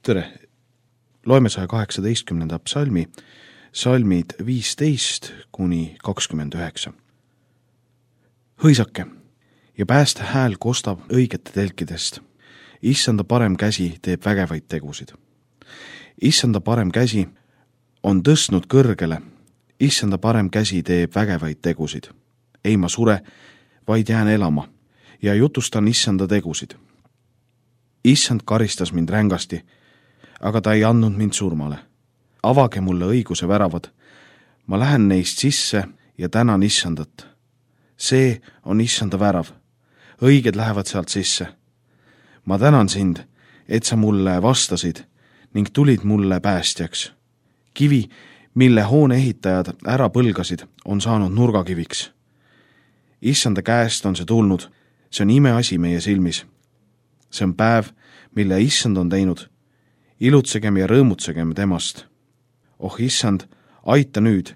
Tere! Loeme 118. psalmi, salmid 15–29. Hõisake ja pääste hääl kostab õigete telkidest. Issanda parem käsi teeb vägevaid tegusid. Issanda parem käsi on tõstnud kõrgele. Issanda parem käsi teeb vägevaid tegusid. Ei ma sure, vaid jään elama ja jutustan issanda tegusid. Issand karistas mind rängasti, aga ta ei andnud mind surmale. Avage mulle õiguse väravad. Ma lähen neist sisse ja tänan issandat. See on issanda värav. Õiged lähevad sealt sisse. Ma tänan sind, et sa mulle vastasid ning tulid mulle päästjaks. Kivi, mille hoone ehitajad ära põlgasid, on saanud nurgakiviks. Issanda käest on see tulnud. See on imeasi meie silmis. See on päev, mille issand on teinud. Ilutsegem ja rõõmutsegem temast. Oh issand, aita nüüd.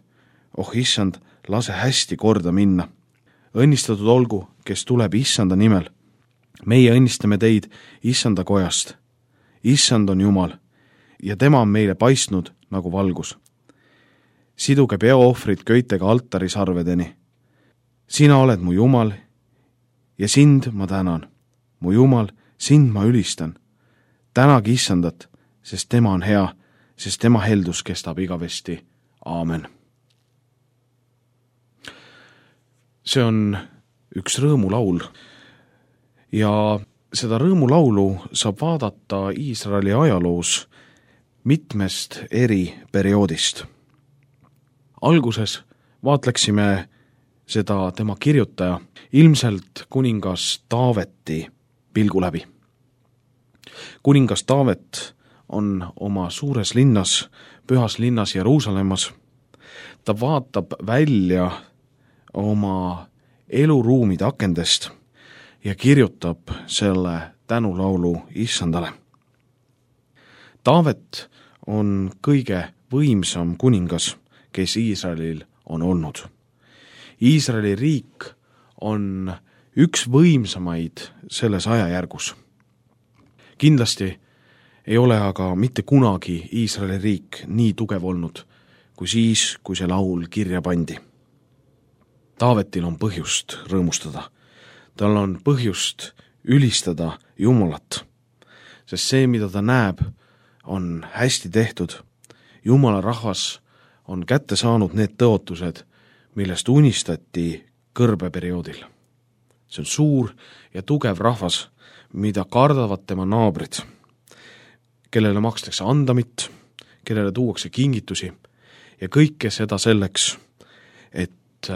Oh issand, lase hästi korda minna. Õnnistatud olgu, kes tuleb issanda nimel. Meie õnnistame teid issanda kojast. Issand on Jumal ja tema on meile paistnud nagu valgus. Siduge peoohvrid köitega altarisarvedeni. Sina oled mu Jumal ja sind ma tänan. Mu Jumal, sind ma ülistan. Tänagi issandat, sest tema on hea, sest tema heldus kestab igavesti. Aamen. See on üks rõõmulaul ja seda rõõmulaulu saab vaadata Iisraeli ajaloos mitmest eri perioodist. Alguses vaatleksime seda tema kirjutaja, ilmselt kuningas Taaveti pilgu läbi. Kuningas Taavet on oma suures linnas, pühas linnas Jeruusalemmas. Ta vaatab välja oma eluruumide akendest ja kirjutab selle tänulaulu issandale. Taavet on kõige võimsam kuningas, kes Iisraelil on olnud. Iisraeli riik on üks võimsamaid selles ajajärgus. Kindlasti ei ole aga mitte kunagi Iisraeli riik nii tugev olnud, kui siis, kui see laul kirja pandi. Taavetil on põhjust rõõmustada. Tal on põhjust ülistada Jumalat, sest see, mida ta näeb, on hästi tehtud. Jumala rahvas on kätte saanud need tõotused, millest unistati kõrbeperioodil. See on suur ja tugev rahvas, mida kardavad tema naabrid, kellele makstakse andamit, kellele tuuakse kingitusi ja kõike seda selleks, et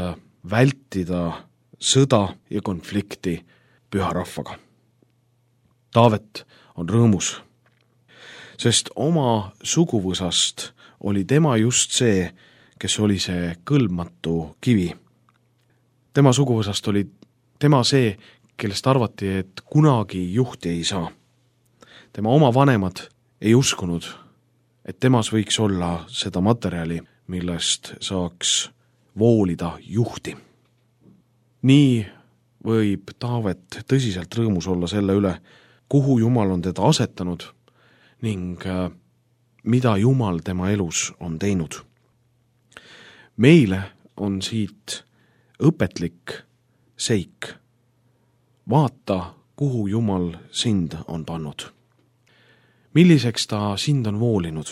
vältida sõda ja konflikti püha rahvaga. Taavet on rõõmus, sest oma suguvõsast oli tema just see, kes oli see kõlbmatu kivi. Tema suguvõsast oli tema see, kellest arvati, et kunagi juhti ei saa. Tema oma vanemad ei uskunud, et temas võiks olla seda materjali, millest saaks voolida juhti. Nii võib Taavet tõsiselt rõõmus olla selle üle, kuhu Jumal on teda asetanud ning mida Jumal tema elus on teinud. Meile on siit õpetlik seik. Vaata, kuhu Jumal sind on pannud. Milliseks ta sind on voolinud?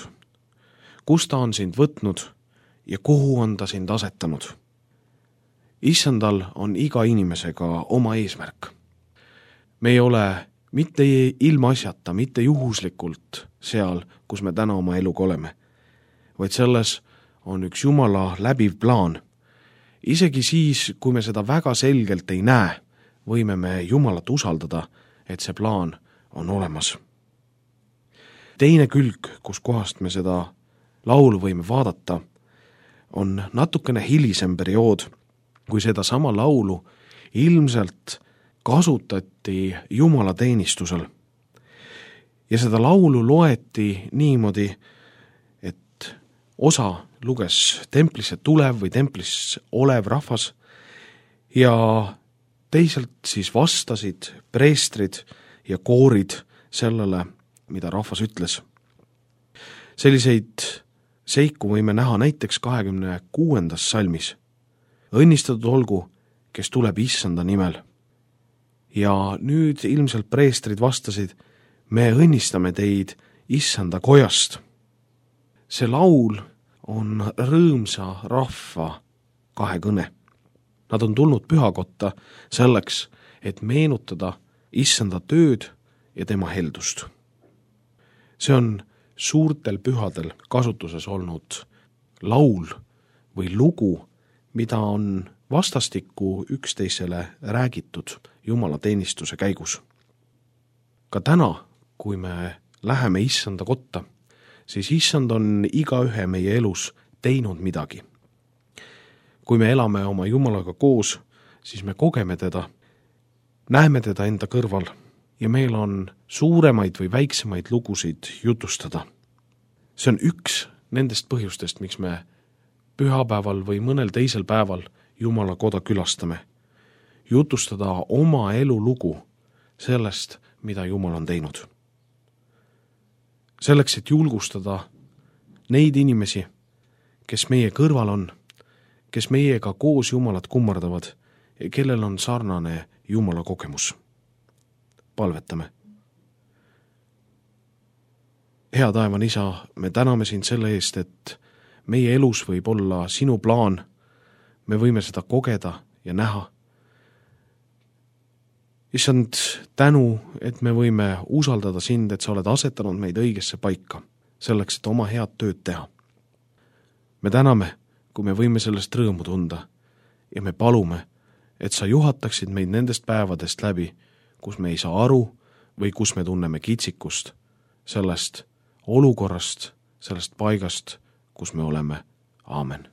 Kus ta on sind võtnud ja kuhu on ta sind asetanud? Issandal on iga inimesega oma eesmärk. Me ei ole mitte ilmaasjata, mitte juhuslikult seal, kus me täna oma eluga oleme, vaid selles on üks Jumala läbiv plaan. Isegi siis, kui me seda väga selgelt ei näe, võime me Jumalat usaldada, et see plaan on olemas. Teine külg, kus kohast me seda laulu võime vaadata, on natukene hilisem periood, kui seda sama laulu ilmselt kasutati Jumala teenistusel. Ja seda laulu loeti niimoodi, et osa luges templisse tulev või templis olev rahvas ja teisalt siis vastasid preestrid ja koorid sellele, mida rahvas ütles. Selliseid seiku võime näha näiteks 26. salmis. Õnnistatud olgu, kes tuleb issanda nimel. Ja nüüd ilmselt preestrid vastasid, me õnnistame teid issanda kojast. See laul on rõõmsa rahva kahekõne. Nad on tulnud pühakotta selleks, et meenutada issanda tööd ja tema heldust. See on suurtel pühadel kasutuses olnud laul või lugu, mida on vastastikku üksteisele räägitud Jumala teenistuse käigus. Ka täna, kui me läheme issanda kotta, siis issand on igaühe meie elus teinud midagi. Kui me elame oma Jumalaga koos, siis me kogeme teda, näeme teda enda kõrval ja meil on suuremaid või väiksemaid lugusid jutustada. See on üks nendest põhjustest, miks me pühapäeval või mõnel teisel päeval Jumala koda külastame. Jutustada oma elu lugu sellest, mida Jumal on teinud. Selleks, et julgustada neid inimesi, kes meie kõrval on, kes meiega koos Jumalat kummardavad ja kellel on sarnane Jumala kogemus. Palvetame. Hea taevane isa, me täname sind selle eest, et meie elus võib olla sinu plaan, me võime seda kogeda ja näha. Issand, tänu, et me võime usaldada sind, et sa oled asetanud meid õigesse paika, selleks, et oma head tööd teha. Me täname, kui me võime sellest rõõmu tunda ja me palume, et sa juhataksid meid nendest päevadest läbi, kus me ei saa aru või kus me tunneme kitsikust sellest olukorrast, sellest paigast, kus me oleme. Aamen.